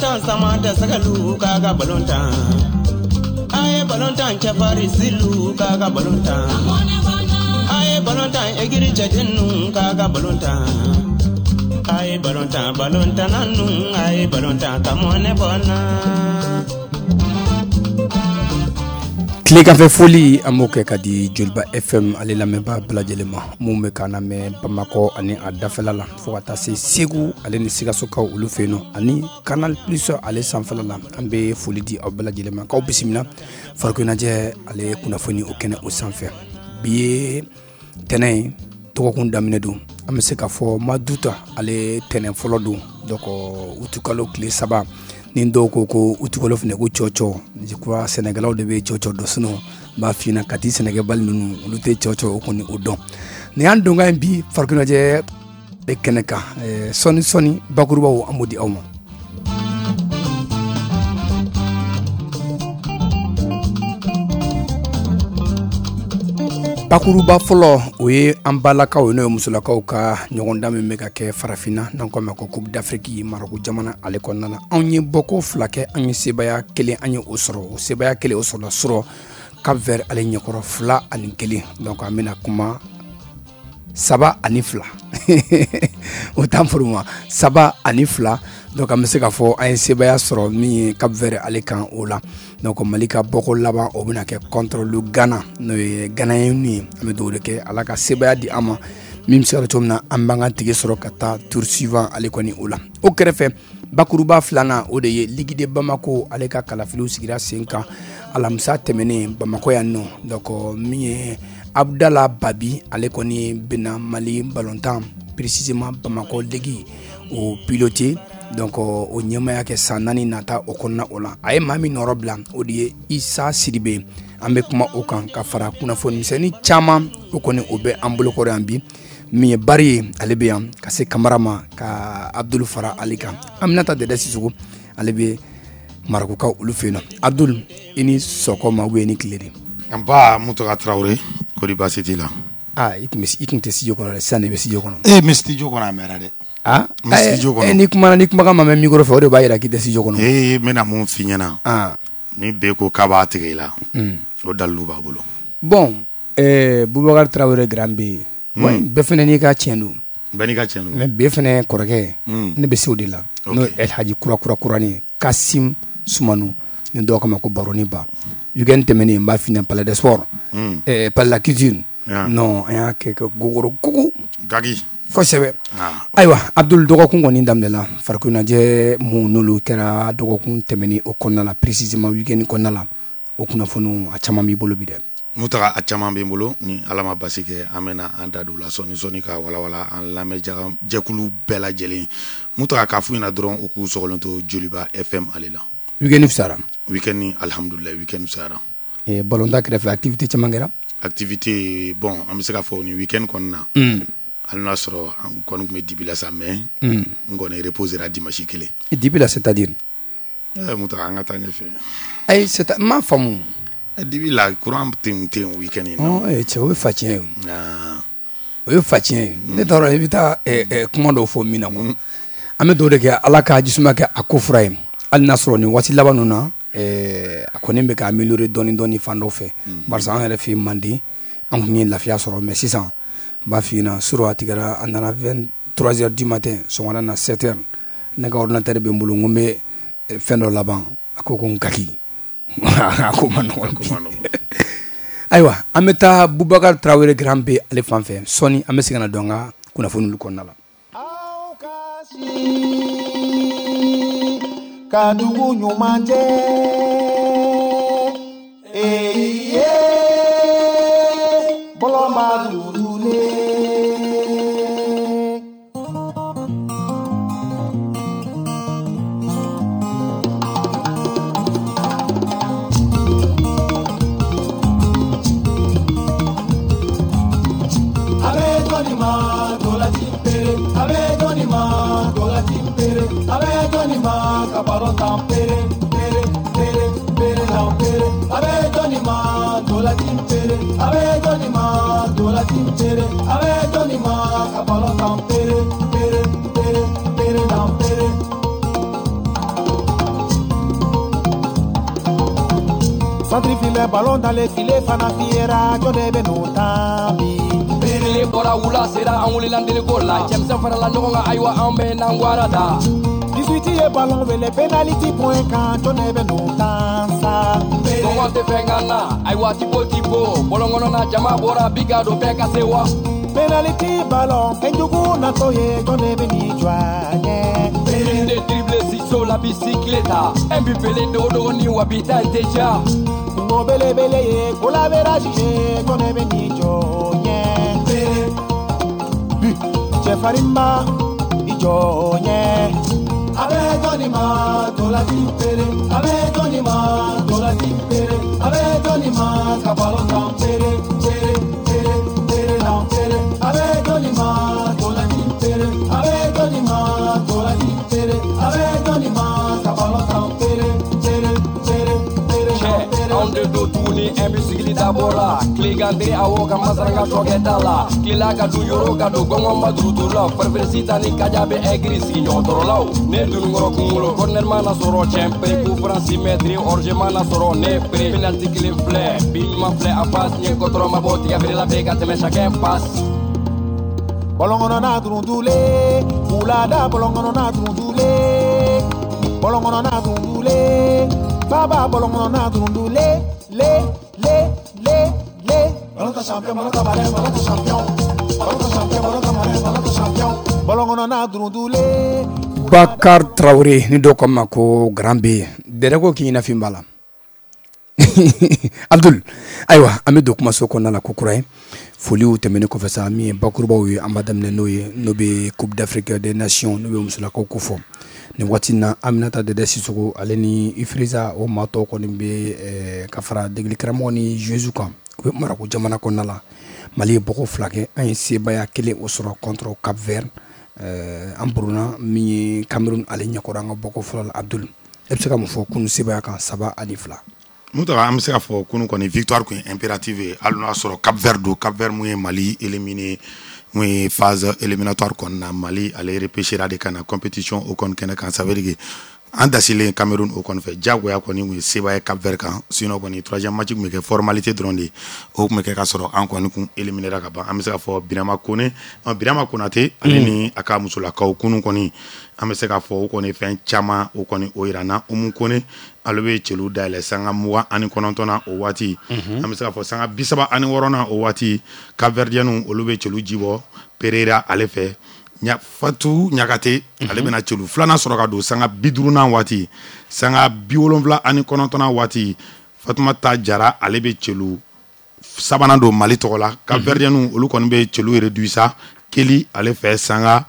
Balontan sama tɛ sɛgɛlu k'a ka balontan. A ye balontan cɛfarin silu k'a ka balontan. A ye balontan egiri cɛdennu k'a ka balontan. A ye balontan balontanna nu a ye balontan ka mɔnɛ bɔ n na. Tileganfɛ foli an b'o kɛ ka di Joliba FM ale lamɛnbaa bɛɛ lajɛlen ma mun bɛ k'an lamɛn Bamakɔ ani a dafɛla la fo ka taa se Segu ale ni Sikasokaw olu fɛ yen nɔ ani Canal Plus ale sanfɛla la an bɛ foli di aw bɛɛ lajɛlen ma k'aw bisimila farikolo ɲɛnajɛ ale kunnafoni o kɛnɛ o sanfɛ bi ye tɛnɛn ye dɔgɔkun daminɛ don an bɛ se k'a fɔ mois d'août ale tɛnɛn fɔlɔ don donc utukalo tile 3 ni dɔw ko ko utukalo fana ko cɔcɔ je crois sɛnɛkɛlaw de bɛ cɔcɔ dɔn sinon n b'a f'i ɲɛna Kati sɛnɛkɛbali ninnu olu tɛ cɔcɔ o kɔni o dɔn nin y'an donkan ye bi farikolo ɲɛnajɛ kɛnɛ kan sɔɔni sɔɔni bakurubaw an b'o di aw ma. Bakuruba fɔlɔ o ye an balakaw n'o ye musolakaw ka ɲɔgɔndan min bɛ ka kɛ farafinna n'an k'a ma ko Coupe d'Afrique Maroc jamana ale kɔnɔna na anw ye bɔko 2 kɛ an ye sebaaya 1 an ye o sɔrɔ o sebaaya 1 o sɔrɔla sɔrɔ Cap Vert ale ɲɛkɔrɔ 2-1 donc an bɛna kuma 3-2 o t'an furu ma 3-2 donc an bɛ se k'a fɔ an ye sebaaya sɔrɔ min ye Cap Vert ale kan o la donc Mali ka bɔko laban o bɛna kɛ contre le Ghana n'o ye Ghanéen ye an bɛ dugawu de kɛ Ala ka sebaaya di an ma min bɛ se ka cogo min na an b'an ka tike sɔrɔ ka taa tour suivant ale kɔni o la o kɛrɛfɛ bakuruba filanan o de ye Ligue de Bamako ale ka kalafiliw sigira sen kan alamisa tɛmɛnen Bamakɔ yan nɔ donc min ye Abdala Babi ale kɔni bɛna Mali balontan précisément Bamakɔ Ligue o piloter donc o ɲɛmaaya kɛ san 4 nata o kɔnɔna o la a ye maa min nɔrɔ bila o de ye Isa Sidibe an bɛ kuma o kan ka fara kunnafoni misɛnnin caman o kɔni o bɛ an bolokɔrɔ yan bi min ye Bari ye ale bɛ yan ka se Kamara ma ka Abdul fara ale kan Aminata Dɛdɛ Sisoko ale bɛ Marɔkukaw olu fɛ yen nɔ Abdul i ni sɔgɔma ou bien i ni tile de. Nba Muntaka Tarawele kɔri baasi t'i la. Aa i tun tɛ studio kɔnɔ dɛ sisan de i bɛ studio kɔnɔ. Ee n bɛ studio kɔnɔ a mɛnna dɛ. Aa ni kumana ni kumakan ma mɛn micro fɛ o de b'a jira k'i tɛ studio kɔnɔ. Ee n bɛna mun f'i ɲɛna. Ni B ko k'a b'a tigɛ i la. O dalilu b'a bolo. Bon Bubakari Tarawele grand B. Bɛɛ fana n'i ka tiɲɛ don. Bɛɛ n'i ka tiɲɛ don. Mais B fana kɔrɔkɛ. Ne bɛ se o de la. N'o ye El Hadji kura kura kurani Kasim Sumanu ni dɔw k'a ma ko Baroni Ba. Week-end tɛmɛnen n b'a f'i ɲɛna Palais des Sports. Palais de la culture. Non an y'a kɛ gogoro kogo. Gagi. Kosɛbɛ. Ayiwa Abdul dɔgɔkun kɔni daminɛla farikolo ɲɛnajɛ mun n'olu kɛra dɔgɔkun tɛmɛnen o kɔnɔna la précisément week-end kɔnɔna la o kunnafoniw a caman b'i bolo bi dɛ. Muntaka a caman bɛ n bolo ni Ala ma basi kɛ an bɛna an da don la sɔɔni sɔɔni ka walawala an lamɛnjɛkulu bɛɛ lajɛlen Muntaka k'a f'u ɲɛna dɔrɔn u k'u sɔgɔlen to Joliba FM ale la. Week-end fisayara. Week-end alihamudulilayi week-end fisayara. Ballon kɛrɛfɛ activité caman kɛra. Activité bon an bɛ se k'a fɔ nin week-end kɔni na. Hali n'a sɔrɔ an kɔni tun bɛ dibi la sa mais n kɔni reposera dimanche kelen. Dibi la c'est à dire. Muntaka an ka taa ɲɛfɛ. Ayi c'est n m'a faamu. Dibi la courant tun tɛ yen week-end in na. Cɛ o ye facɛn ye. O ye facɛn ye. Ne t'a dɔn i bɛ taa kuma dɔw fɔ min na quoi. An bɛ dugawu de kɛ Ala ka jisuma kɛ a ko fura ye hali n'a sɔrɔ nin waati laban ninnu na a kɔni bɛ ka améliorer dɔɔni dɔɔni fan dɔw fɛ. Barisa an yɛrɛ fɛ yen Manden an tun ye lafiya sɔrɔ mais sisan n b'a f'i ɲɛna surɔ a tigɛra a nana 23 heures du matin sɔgɔmada na 7 heures ne ka ordinateur bɛ n bolo n ko n bɛ fɛn dɔ laban a ko ko n kaki a ko ma nɔgɔn ayiwa an bɛ taa Bubakari Tarawele grand B ale fan fɛ sɔɔni an bɛ segin ka na don an ka kunnafoniw kɔnɔna la. Aw ka si ka dugu ɲuman jɛ ee ye bɔlɔnba dugulen. Centre filɛ ballon dans les filets fana fiyɛra jɔn de bɛ n'o tan bi. Tile bɔra wula sera an wulila deliko la cɛmisɛn farala ɲɔgɔn kan ayiwa an bɛ n'an gwara da. 18 ye ballon wele penalty point kan jɔn de bɛ n'o tan sa. Kɔngɔ tɛ fɛn kan na ayiwa tipo tipo bɔlɔn kɔnɔna jama bɔra bi ka don bɛɛ ka se wa. Penalty ballon fɛnjugu natɔ ye jɔn de bɛ n'i jɔ a ɲɛ. De dribble ciseau la bicyclette un but pelé dogo ni wa bi ta tɛ ja. Kungo belebele ye goal average ye jɔn de bɛ n'i jɔ ɲɛ. But cɛfarinba i jɔ ɲɛ. A bɛ jɔnni ma ntolanci pere a bɛ jɔnni ma ntolanci pere a bɛ jɔnni ma ka ballon tan pere pere pere pere tan pere a bɛ jɔnni ma ntolanci pere a bɛ jɔnni ma ntolanci pere a bɛ jɔnni ma ka ballon tan pere pere pere pere tan pere. Anw de don tuguni un but sigili dabɔ la tilegan awɔ ka masaranga tɔkɛ t'a la tilela ka dun yɔrɔ ka don gɔngɔn ma duruduru la farifɛrɛ sitan ni kaja bɛ ɛgiri sigi ɲɔgɔntɔrɔlaw ne dununkɔrɔ kunkolo corner mana sɔrɔ cɛn pere coup franc 6 mètres hors-jeu mana sɔrɔ ne pere penalty kelen filɛ bi ɲuman filɛ en face ɲɛ kɔtɔrɔ ma bɔ tigɛ feerela bɛ ka tɛmɛ chacun passe. Bɔlɔn kɔnɔna durundule wulada bɔlɔn kɔnɔna durundule bɔlɔn kɔnɔna durundule baba bɔlɔn kɔnɔna durundule le le le le. Ballon ta champion ballon ta malin ballon ta champion ballon ta champion ballon ta malin ballon ta champion bɔlɔn kɔnɔna durundule. Bakar Traoré ni dɔw ko ma ko Grand B dɛrɛ ko k'i ɲɛnafin b'a la. Abdul ayiwa an bɛ don kumaso kɔnɔna la ko kura ye foliw tɛmɛnen kɔfɛ sa min ye bakurubaw ye an b'a daminɛ n'o ye n'o bɛ Coupe d'Afrique des Nations n'o bɛ musolakaw ko fɔ nin waati in na Aminata Dede Sisoko ale ni Ifriza o maa tɔw kɔni bɛ ka fara degeli karamɔgɔ ni joueurs kan u bɛ Marako jamana kɔnɔna la. Mali ye bɔgɔ 2 kɛ an ye sebaaya kelen o sɔrɔ contre Cap Vert an buruna min ye Cameroun ale ɲɛkɔrɔ an ka bɔgɔ fɔlɔ la. Abdul e bɛ se ka mun fɔ kunun sebaaya kan 3-2? Mutaga an bɛ se k'a fɔ kunun kɔni victoire kun ye impérative ye hali n'o y'a sɔrɔ Cap Vert don. Cap Vert mun ye Mali éliminé mun ye phase éliminatoire kɔni na Mali ale repêchera de ka na compétition o kɔni kɛnɛ kan. Ça veut dire que an dasilen Cameroun o kɔni fɛ diyagoya kɔni kun ye sebaaya ye Cap Vert kan. Sinon kɔni troisième match kun bɛ kɛ formalité dɔrɔn de ye o kun bɛ kɛ ka sɔrɔ an kɔni kun éliminera ka ban. An bɛ se k'a fɔ Birama Kone Birama Konate ale ni a ka musolakaw kunun kɔni an bɛ se k'a fɔ o kɔni fɛn caman o kɔni o yira na. Umu Kone ale bɛ celu dayɛlɛ sanga 29 na o waati an bɛ se k'a fɔ sanga 36 na o waati Cap-Verdienw olu bɛ celu jibɔ Pereira ale fɛ. Fatu Ɲagate ale bɛna celu filanan sɔrɔ ka don sanga 50 waati sanga 79 waati Fatumata Jara ale bɛ celu sabanan don Mali tɔgɔ la. Cap-Verdienw olu kɔni bɛ celu réduit sa Keli ale fɛ sanga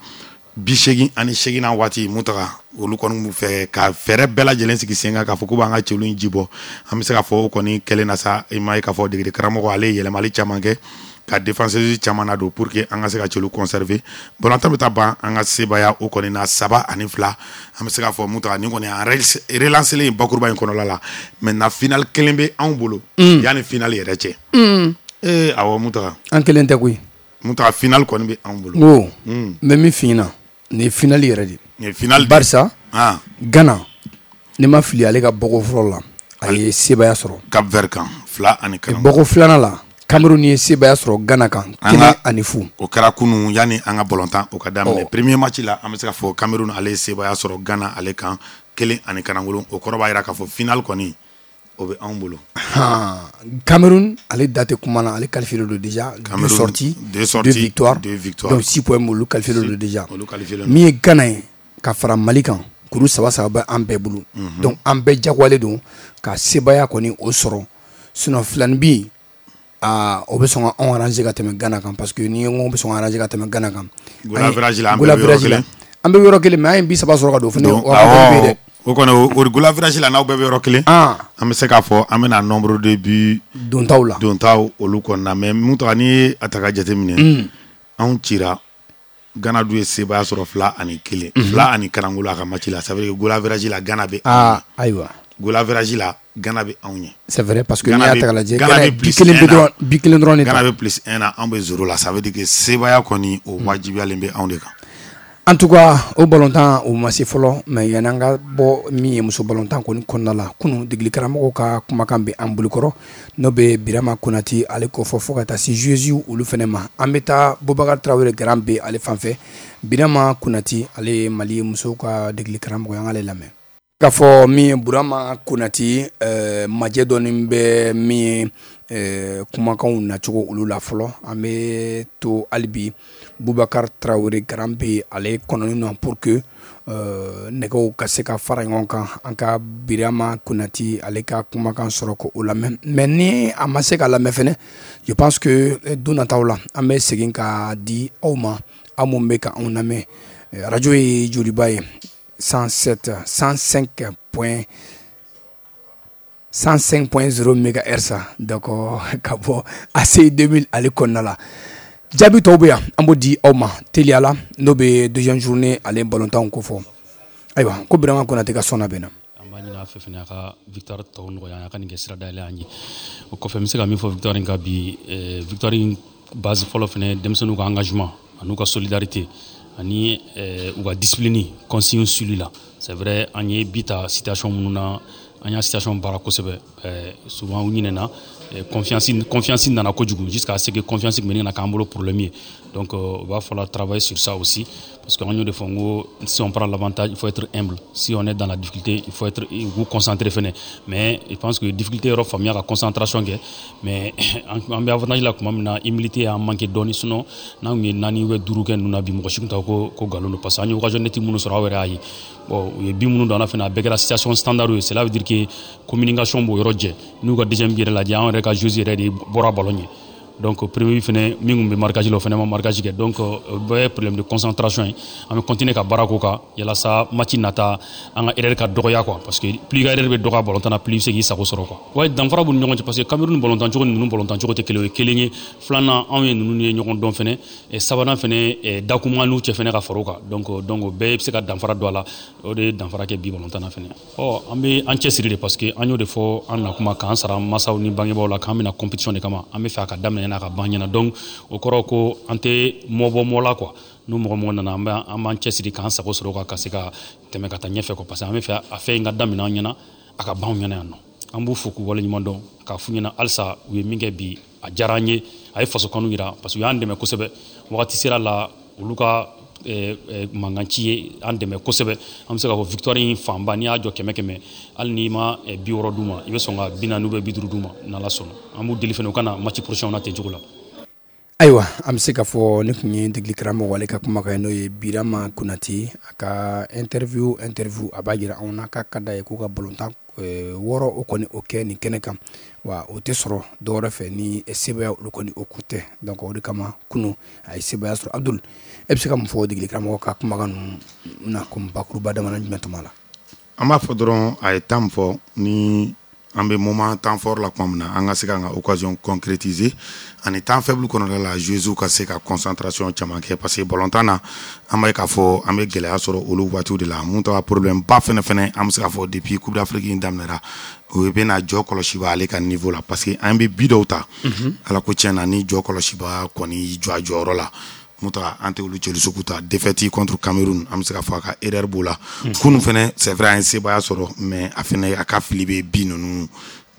88 waati Mutaga olu kɔni b'u fɛ ka fɛɛrɛ bɛɛ lajɛlen sigi sen kan k'a fɔ k'u b'an ka celu in jibɔ. An bɛ se k'a fɔ o kɔni kɛlen na sa i m'a ye k'a fɔ degeli karamɔgɔ ale ye yɛlɛmali caman kɛ ka défenseuse caman na don pour que an ka se ka celu conserver. Balontan bɛ taa ban an ka sebaaya o kɔni na 3-2. An bɛ se k'a fɔ Mutaga nin kɔni an relancer in bakuruba in kɔnɔla la. Maintenant finale kelen bɛ anw bolo yanni finale yɛrɛ cɛ. Awɔ Mutaga an kelen tɛ koyi. Mutaga finale kɔni bɛ anw bolo. N ko n bɛ min f'i ɲɛna nin ye finale yɛrɛ de ye. Finale barisa Ghana ne ma fili ale ka bɔgɔ fɔlɔ la a ye sebaaya sɔrɔ Cap Vert kan 2-1. Bɔgɔ filanan la Cameroun ye sebaaya sɔrɔ Ghana kan 1-0. O kɛra kunun yanni an ka balontan o ka daminɛ. Premier match la an bɛ se k'a fɔ Cameroun ale ye sebaaya sɔrɔ Ghana ale kan 1-0. O kɔrɔ b'a jira k'a fɔ finale kɔni o bɛ anw bolo. Cameroun ale da tɛ kuma na ale qualifié don déjà. 2 sorties 2 victoires donc 6 points olu qualifié don déjà. Min ye Ghana ye ka fara Mali kan kuru 3-3 bɛ an bɛɛ bolo. Donc an bɛɛ jagoyalen don ka sebaaya kɔni o sɔrɔ sinon filanin bi o bɛ sɔn ka anw arranger ka tɛmɛ Ghana kan parce que ni n ko bɛ sɔn ka arranger ka tɛmɛ Ghana kan. Goal average la an bɛɛ bɛ yɔrɔ kelen mais an ye bi 3 sɔrɔ ka don o fana o avantage bɛ yen dɛ. O kɔni o goal average la n'aw bɛɛ bɛ yɔrɔ kelen. An bɛ se k'a fɔ an bɛna nombre de buts dontaw la. Dontaw olu kɔni na mais Mutaga n'i ye a ta ka jateminɛ anw cira Ghana dun ye sebaaya sɔrɔ 2-1. 2-1 a ka match la ça veut dire que goal average la Ghana bɛ. Ayiwa. Goal average la Ghana bɛ anw ɲɛ. C'est vrai parce que n'i y'a ta k'a lajɛ Ghana bi kelen dɔrɔn de ta. Ghana bɛ plus 1 na anw bɛ 0 la ça veut dire que sebaaya kɔni o wajibiyalen bɛ anw de kan. En tout cas, o balontan o ma se fɔlɔ, mais yanni an ka bɔ min ye muso balontan kɔni kɔnɔna la, kunun degeli karamɔgɔw ka kumakan bɛ an bolokɔrɔ, n'o bɛ Birama Konate ale kofɔ, fo ka taa se joueuses olu fana ma. An bɛ taa Bubakari Tarawele Garan bɛ ale fan fɛ. Birama Konate, ale ye Mali musow ka degeli karamɔgɔ ye, an k'ale lamɛn. K'a fɔ min ye Burama Konate, majɛ dɔɔni bɛ min ye kumakanw nacogo olu la fɔlɔ. An bɛ to hali bi Bubakari Tarawele Garan bɛ ale kɔnɔni na pour que nɛgɛw ka se ka fara ɲɔgɔn kan, an ka Birama Konate ale ka kumakan sɔrɔ ko o lamɛn. Mais ni a ma se ka lamɛn fɛnɛ, je pense que don nataw la an bɛ segin ka di aw ma, aw mun bɛ ka anw lamɛn. Radio ye Joliba ye, 107 105 point 105.0 mégahertz. Donc ka bɔ ACI 2000 ale kɔnɔna la, jaabi tɔw bɛ yan, an b'o di aw ma teliya la, n'o bɛ deuxième journée ale balontanw kofɔ. Ayiwa, ko Birama Konate ka sɔnna bɛ na. An b'a ɲini a fɛ fɛnɛ, a ka victoire tɔw nɔgɔya, a ka nin kɛ sira dayɛlɛ an ye. O kɔfɛ, n bɛ se ka min fɔ victoire in kan bi, victoire in base fɔlɔ fɛnɛ, denmisɛnninw ka engagement ani ka solidarité ani u ka discipline, consigne suivi la. C'est vrai, an ye bi ta situation minnu na, an y'a situation baara kosɛbɛ. Souvent u ɲinɛna, confiance nana kojugu jusqu'à ce que confiance tun bɛ ɲini ka k'an bolo problème ye. Donc il va falloir travailler sur ça aussi, parce que an y'o de fɔ n ko si on prend l'avantage, il faut être humble, si on est dans la difficulté, il faut être k'u concentrer fɛnɛ. Mais je pense que difficulté yɔrɔ faamuya ka concentration kɛ, mais an bɛ avantage la tuma min na, humilité y'an manqué dɔɔni. Sinon n'an tun ye naani ou duuru kɛ ninnu na bi, mɔgɔ si tun t'a ko nkalon don, parce que an ye occasion nette minnu sɔrɔ, aw yɛrɛ y'a ye. Bon, u ye but minnu don an na fɛnɛ, a bɛɛ kɛra situation standard ye. Cela veut dire que communication b'o yɔrɔ jɛ. N'u ka deuxième but yɛrɛ lajɛ, an yɛrɛ ka joueurs yɛrɛ de bɔra ballon ɲɛ. Donc premier but fɛnɛ, min tun bɛ marquage la, o fɛnɛ ma marquage kɛ. Donc o bɛɛ ye problème de concentration ye. An bɛ continuer ka baara k'o kan yalasa match nata, an ka erreur ka dɔgɔya quoi, parce que plus i ka erreur bɛ dɔgɔya ballon na, plus i bɛ se k'i sago sɔrɔ quoi. Ouais, danfara b'u ni ɲɔgɔn cɛ, parce que Cameroun ballon cogo ni ninnu ballon cogo tɛ kelen ye. O ye kelen ye. Filanan, anw ye ninnu ye ɲɔgɔn dɔn fɛnɛ. Sabanan fɛnɛ, dakuma n'u cɛ fɛnɛ ka fara o kan. Donc o bɛɛ bɛ se ka danfara don a la. O de ye danfara kɛ bi ballon na fɛnɛ. Ɔ, an bɛ an cɛsiri de, parce que an y'o de fɔ an na kuma k'an sara masaw ni bangebaaw la k'an bɛna compétition de kama, an bɛ fɛ a ka daminɛ ɲɛna, a ka ban ɲɛna. Donc o kɔrɔ ko an tɛ mɔbɔ mɔ la quoi. N'u mɔgɔ mɔgɔ nana, an b'an cɛsiri k'an sago sɔrɔ kan, ka se ka tɛmɛ ka taa ɲɛfɛ quoi, parce que an bɛ fɛ a fɛn in ka daminɛ an ɲɛna, a ka ban anw ɲɛna yan nɔ. An b'u fo k'u waleɲuman dɔn, k'a f'u ɲɛna halisa u ye min kɛ bi, a diyara an ye, a ye faso kanu yira, parce que u y'an dɛmɛ kosɛbɛ. Wagati sera la, olu ka mankan ci ye an dɛmɛ kosɛbɛ. An bɛ se k'a fɔ victoire in fanba, n'i y'a jɔ 100 100, hali n'i ma 60 d'u ma, i bɛ sɔn ka 40 ou 50 d'u ma, n'Ala sɔnna. An b'u deli fɛnɛ, u ka na match prochain na ten cogo la. Ayiwa, an bɛ se k'a fɔ ne tun ye degeli karamɔgɔ ale ka kumakan ye, n'o ye Birama Konate. A ka interview a b'a jira anw na k'a ka d'a ye k'u ka balontan wɔɔrɔ o kɔni o kɛ nin kɛnɛ kan, wa o tɛ sɔrɔ dɔwɛrɛ fɛ ni sebaya olu kɔni o ku tɛ. Donc o de kama kunun a ye sebaya sɔrɔ. Abdul, e bɛ se ka mun fɔ degeli karamɔgɔ ka kumakan ninnu na komi bakuruba dama jumɛn tuma la? An b'a fɔ dɔrɔn, a ye temps min fɔ, ni an bɛ moment temps fort la tuma min na, an ka se k'an ka occasion concrétiser, ani temps faible kɔnɔna la, joueurs ka se ka concentration caman kɛ, parce que ballon na, an b'a ye k'a fɔ an bɛ gɛlɛya sɔrɔ olu waatiw de la. Mun ta problème ba fɛnɛ, an bɛ se k'a fɔ depuis Coupe d'Afrique in daminɛra, o bɛna jɔ kɔlɔsiba ale ka niveau la, parce que an bɛ but dɔw ta, Ala ko tiɲɛ na, ni jɔ kɔlɔsiba kɔni y'i jɔ a jɔyɔrɔ la, Muta, an tɛ olu jeli sugu ta. Défaite contre Cameroun, an bɛ se k'a fɔ a ka erreur b'o la. Kunun fɛnɛ, c'est vrai, an ye sebaya sɔrɔ, mais a fɛnɛ a ka fili bɛ but ninnu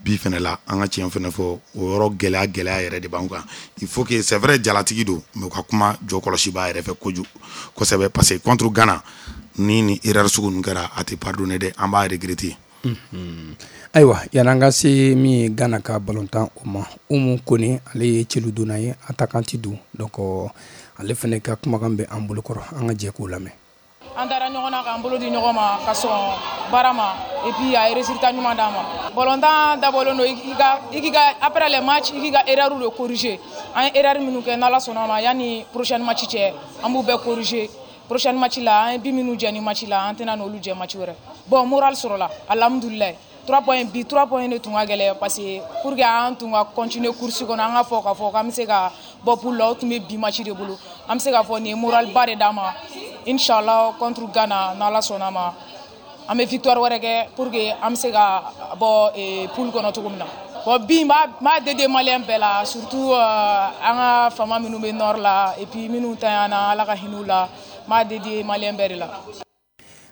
bi fɛnɛ la. An ka tiɲɛ fɛnɛ fɔ, o yɔrɔ gɛlɛya yɛrɛ de b'an kan. Il faut que, c'est vrai, jalatigi don, mais u ka kuma jɔ kɔlɔsiba yɛrɛ fɛ kojugu kosɛbɛ, parce que contre Ghana ni erreur sugu ninnu kɛra, a tɛ pardonner dɛ, an b'a regretter. Ayiwa, yan'an ka se min ye Ghana ka balontan o ma, Umu Kone, ale ye celu donna ye, attaquante don. Donc ale fana ka kumakan bɛ an bolokɔrɔ, an ka jɛ k'o lamɛn. An taara ɲɔgɔn na k'an bolo di ɲɔgɔn ma ka sɔn baara ma, et puis a ye résultat ɲuman d'an ma. Balontan dabɔlen don i k'i ka après les matchs, i k'i ka erreur de corriger. An ye erreur minnu kɛ, n'Ala sɔnna ma, yanni prochaine match cɛ, an b'u bɛɛ corriger. Prochaine match la, an ye but minnu jɛ ni match la, an tɛna n'olu jɛ match wɛrɛ. Bon, moral sɔrɔla, alhamdulilayi. 3 points bi, 3 points de tun ka gɛlɛn, parce que pour que an tun ka continuer course kɔnɔ, an ka fɔ k'a fɔ k'an bɛ se ka bɔ poule la, o tun bɛ bi match de bolo. An bɛ se k'a fɔ nin ye moral ba de d'an ma. Inchallah, contre Ghana, n'Ala sɔnna ma, an bɛ victoire wɛrɛ kɛ pour que an bɛ se ka bɔ poule kɔnɔ cogo min na. Bon, bi n b'a dédié malien bɛɛ la, surtout an ka faama minnu bɛ nord la, et puis minnu tanyana, Ala ka hinɛ u la. N b'a dédié malien bɛɛ de la.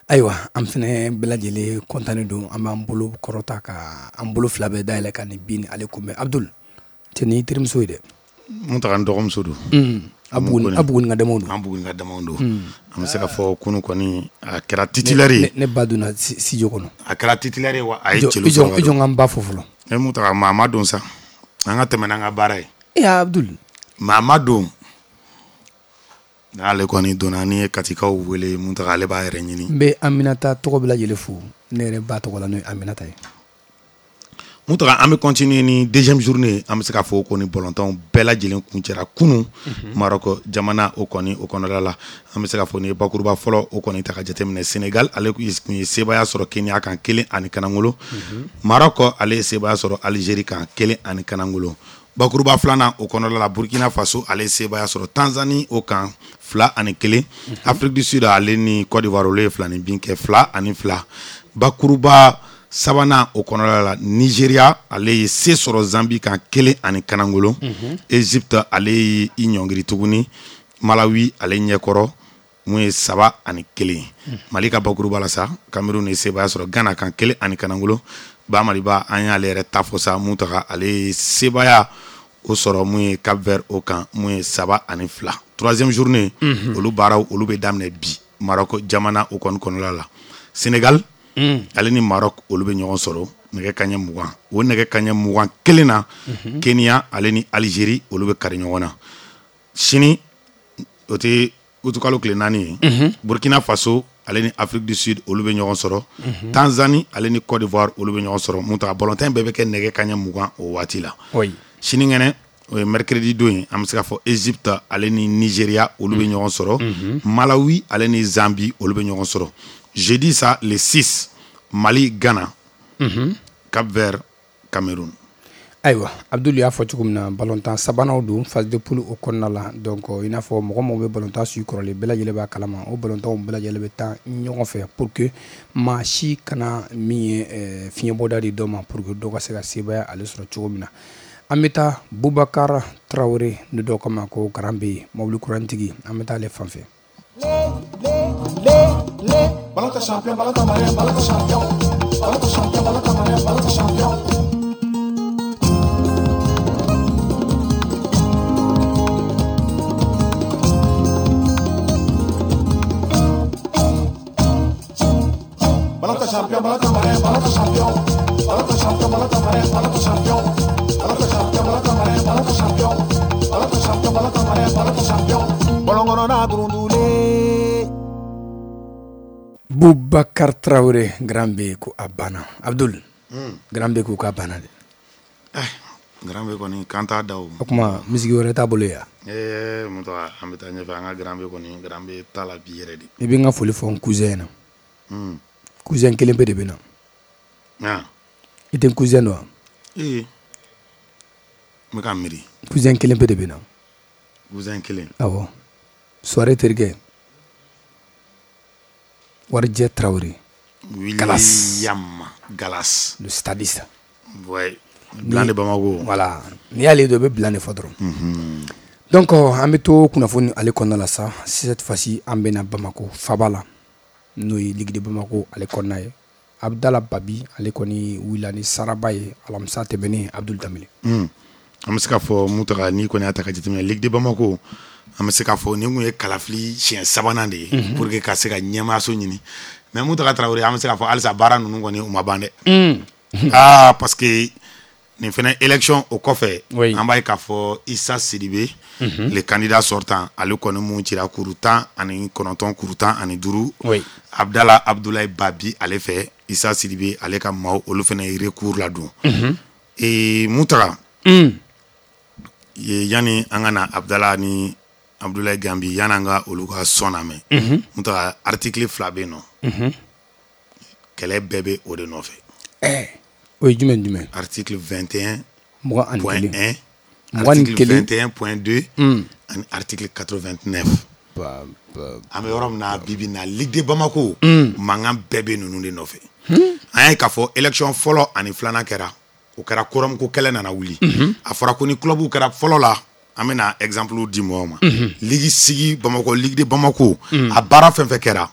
Ayiwa, an fɛnɛ bɛɛ lajɛlen kɔntannen don. An b'an bolo kɔrɔta ka an bolo fila bɛɛ dayɛlɛ ka nin bin ale kunbɛn. Abdul, cɛ nin y'i terimuso ye dɛ. Mun taga n dɔgɔmuso don. A Buguni ka damaw don. An Buguni ka damaw don. An bɛ se ka fɔ kunu kɔni a kɛra titulaire ye. Ne ba donna studio kɔnɔ. A kɛra titulaire ye wa a ye celu sɔrɔ. I jɔ n ka n ba fo fɔlɔ. E mun taga maa ma don sa. An ka tɛmɛ n'an ka baara ye. E Abdul. Maa ma don. N'ale kɔni donna, ni ye Katikaw wele, mun taga ale b'a yɛrɛ ɲini. N bɛ Aminata tɔgɔ bɛɛ lajɛlen fo, ne yɛrɛ ba tɔgɔ la, n'o ye Aminata ye. Mun taga an bɛ continuer ni deuxième journée. An bɛ se k'a fɔ ko ni ballontanw bɛɛ lajɛlen kuncɛra kunun Maroc jamana o kɔni o kɔnɔna la. An bɛ se k'a fɔ ni ye bakuruba fɔlɔ o kɔni ta ka jateminɛ, Sénégal ale kun ye sebaaya sɔrɔ Kenya kan 1-0. Maroc ale ye sebaaya sɔrɔ Algérie kan 1-0. Bakuruba filanan o kɔnɔna la, Burkina Faso ale ye sebaaya sɔrɔ Tanzanie o kan 2-1. Afrique du Sud ale ni Côte d'Ivoire olu ye 2 ni bin kɛ 2-2. Bakuruba sabanan o kɔnɔna la, Nigeria ale ye se sɔrɔ Zambie kan 1-0. Égypte ale ye i ɲɔngiri tuguni Malawi ale ɲɛkɔrɔ mun ye 3-1. Mali ka bakuruba la sa, Cameroun ye sebaaya sɔrɔ Ghana kan 1-0. Ba Maliba an y'ale yɛrɛ ta fɔ sa, mun taga ale ye sebaaya o sɔrɔ mun ye Cap Vert o kan mun ye 3-2. Troisième journée olu baaraw olu bɛ daminɛ bi Maroc jamana o kɔni kɔnɔna la. Sénégal ale ni Maroc olu bɛ ɲɔgɔn sɔrɔ nɛgɛ kaɲɛ 20. O nɛgɛ kaɲɛ 21 na, Kenya ale ni Algérie olu bɛ kari ɲɔgɔn na. Sini, o tɛ utukalo tile 4 ye, Burkina Faso ale ni Afrique du Sud olu bɛ ɲɔgɔn sɔrɔ. Tanzanie ale ni Côte d'Ivoire olu bɛ ɲɔgɔn sɔrɔ. Mun taga ballontan bɛɛ bɛ kɛ nɛgɛ kaɲɛ 20 o waati la. Sinikɛnɛ, o ye mercredi don ye, an bɛ se k'a fɔ Égypte ale ni Nigeria olu bɛ ɲɔgɔn sɔrɔ. Malawi ale ni Zambie olu bɛ ɲɔgɔn sɔrɔ. Jeudi sa, le 6, Mali Ghana, Cap Vert Cameroun. Ayiwa Abdul, y'a fɔ cogo min na, balontan sabananw don phase de poule o kɔnɔna la. Donc i n'a fɔ mɔgɔ mɔgɔ bɛ balontan su kɔrɔlen, bɛɛ lajɛlen b'a kalama, o balontanw bɛɛ lajɛlen bɛ taa ɲɔgɔn fɛ pour que maa si kana min ye fiɲɛbɔda di dɔ ma, pour que dɔ ka se ka sebaaya ale sɔrɔ cogo min na. An bɛ taa Bubakar Tarawele ni dɔw kama ko Garan bɛ yen, mobili kurantigi, an bɛ taa ale fan fɛ. Ballon champion, ballon malien, ballon champion, ballon champion, ballon malien, ballon champion. Ballon champion, ballon malien, ballon champion, ballon champion, ballon malien, ballon champion, ballon champion, ballon malien, ballon champion, ballon champion, ballon malien, ballon champion. Ballon kɔnɔ n'a durundulen. Bubakar Tarawele, Grand B ko a banna. Abdul, Grand B ko k'a banna dɛ. Grand B kɔni kan t'a da o. O tuma misigi wɛrɛ t'a bolo yan. Ee mun tɔgɔ, an bɛ taa ɲɛfɛ. An ka Grand B kɔni, Grand B t'a la bi yɛrɛ de. I bɛ n ka foli fɔ n cousin na. Cousin kelen pe de bɛ na. I tɛ n cousin dɔn wa? Ee, n bɛ ka miiri. Cousin kelen pe de bɛ na. Cousin kelen. Awɔ, soirée terikɛ. Warijɛ Tarawele. William Galas. Le stadiste. Ouais. Blanc de Bamako. Voilà. N'i y'ale dɔn, i bɛ bilan de fɔ dɔrɔn. Donc an bɛ to kunnafoni ale kɔnɔna la sa. Cette fois-ci an bɛ na Bamako faba la, n'o ye Ligue de Bamako ale kɔnɔna ye. Abdala Babi ale kɔni wulila ni saraba ye alamisa tɛmɛnen, Abdul Danbele. An bɛ se k'a fɔ mun taga n'i kɔni y'a ta ka jateminɛ Ligue de Bamako, an bɛ se k'a fɔ nin kun ye kalafili siɲɛ sabanan de ye pour que ka se ka ɲɛmaayaso ɲini. Mais mun taga Tarawele, an bɛ se k'a fɔ halisa baara ninnu kɔni u ma ban dɛ. Ah, parce que nin fɛnɛ élection o kɔfɛ, an b'a ye k'a fɔ Issa Sidibe, le candidat sortant, ale kɔni mun cira kuru 19, kuru 15 Abdala Abdoulaye Babi ale fɛ. Issa Sidibe ale ka maaw olu fɛnɛ ye recours ladon. Ee mun taga yanni an ka na Abdala ni Abdoulaye Gambi, yanni an ka olu ka sɔn lamɛn, mun taga article 2 bɛ yen nɔ, kɛlɛ bɛɛ bɛ o de nɔfɛ. O ye jumɛn jumɛn? Article 21 21. Point 1, 21. Article 21.2 ani article 89. An bɛ yɔrɔ min na bi bi in na, Ligue de Bamako mankan bɛɛ bɛ ninnu de nɔfɛ. An y'a ye k'a fɔ élection fɔlɔ ani filanan kɛra. O kɛra quorum ko kɛlɛ nana wuli. A fɔra ko ni club kɛra fɔlɔ la, an bɛna exemple di mɔgɔw ma. Ligue sigi Bamakɔ, Ligue de Bamako, a baara fɛn fɛn kɛra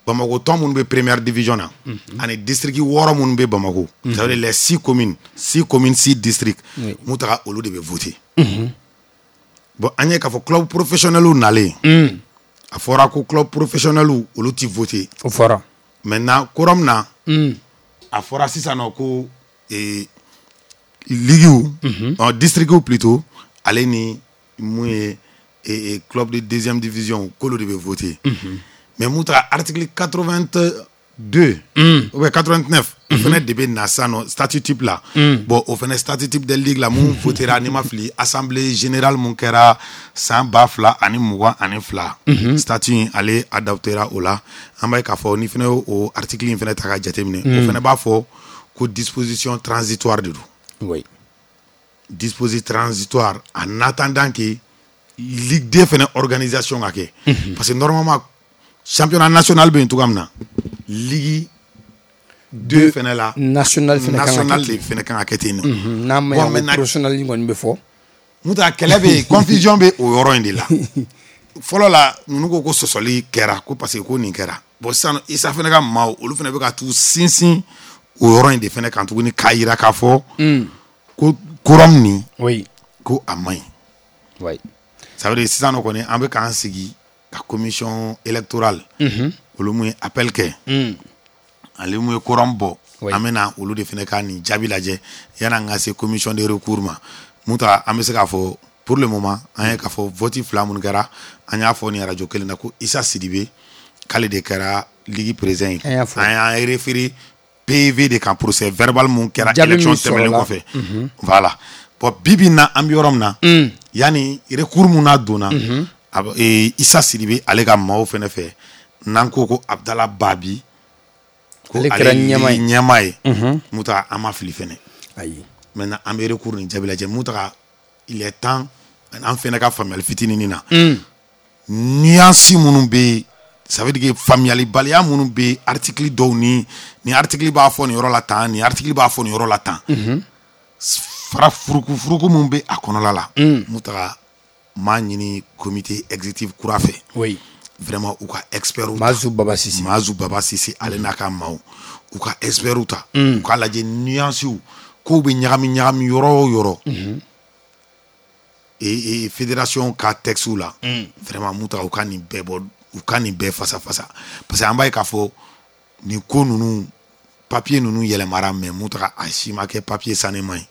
Bamakɔ, tɔn minnu bɛ première division na ani district 6 minnu bɛ Bamakɔ, ça veut dire les 6 communes, 6 communes, 6 districts, mun taga olu de bɛ voter. Bon, an ye k'a fɔ club professionnel nalen, a fɔra ko club professionnel olu ti voter. O fɔra. Maintenant, quorum na, a fɔra sisan nɔ ko ligue, district plutôt, ale ni mun ye club de deuxième division, k'olu de bɛ voter. Mais mun taga article 82 ou bien 89, o fɛnɛ de bɛ na sisan nɔ statut type la. Bon, o fɛnɛ statut type de ligue la mun votera, n'i ma fili, assemblée générale mun kɛra san 2022, statut in ale adoptera o la. An b'a ye k'a fɔ ni fɛnɛ y'o article in fɛnɛ ta ka jateminɛ, o fɛnɛ b'a fɔ ko disposition transitoire de don. Disposition transitoire en attendant que Ligue 2 fɛnɛ organisation ka kɛ. Parce que normalement championnat national bɛ yen cogoya min na, Ligue 2 fɛnɛ la, national fɛnɛ kan ka kɛ. National de fɛnɛ kan ka kɛ ten nɔ. N'a ma ɲɛ ko professionnel kɔni bɛ fɔ. N'o tɛ a kɛlɛ bɛ yen, confusion bɛ o yɔrɔ in de la. Fɔlɔ la, ninnu ko ko sɔsɔli kɛra ko parce que ko nin kɛra. Bon, sisan Isa fɛnɛ ka maaw, olu fɛnɛ bɛ ka t'u sinsin o yɔrɔ in de fɛnɛ kan tuguni, k'a yira k'a fɔ ko quorum nin, ko a man ɲi. Ça veut dire sisan nɔ kɔni, an bɛ k'an sigi ka commission électorale, olu mun ye appel kɛ, ale mun ye quorum bɔ, an bɛna olu de fɛnɛ ka nin jaabi lajɛ yanni an ka se commission de recours ma. Mun ta, an bɛ se k'a fɔ pour le moment, an ye k'a fɔ vote fila minnu kɛra, an y'a fɔ nin radio kelen na ko Isa Sidibe k'ale de kɛra ligue président ye. An y'an référé PV de kan, procès verbal mun kɛra élection tɛmɛnen kɔfɛ. Voilà. Bon, bi bi in na, an bɛ yɔrɔ min na, yanni recours mun n'a donna Isa Sidibe ale ka maaw fɛnɛ fɛ, n'an ko ko Abdala Babi ko ale kɛra ɲɛmaa ye, mun ta, an ma fili fɛnɛ. Ayi. Maintenant, an bɛ recours nin jaabi lajɛ. Mun ta, il est temps an fɛnɛ ka faamuyali fitinin na, nuance minnu bɛ yen, ça veut dire que faamuyalibaliya minnu bɛ article dɔw ni nin article b'a fɔ nin yɔrɔ la tan, nin article b'a fɔ nin yɔrɔ la tan, fara furuku furuku mun bɛ a kɔnɔla la. Mun taga m'a ɲini comité exécutif kura fɛ, vraiment u ka experts ta. Mazu Baba Sise. Mazu Baba Sise, ale n'a ka maaw, u ka experts ta, u k'a lajɛ nuances kow bɛ ɲagami ɲagami yɔrɔ o yɔrɔ et fédération ka texte la. Vraiment, mun taga, u ka nin bɛɛ bɔ, u ka nin bɛɛ fasa fasa, parce que an b'a ye k'a fɔ nin ko ninnu, papier ninnu yɛlɛmara, mais mun taga, a si ma kɛ papier sanema ye.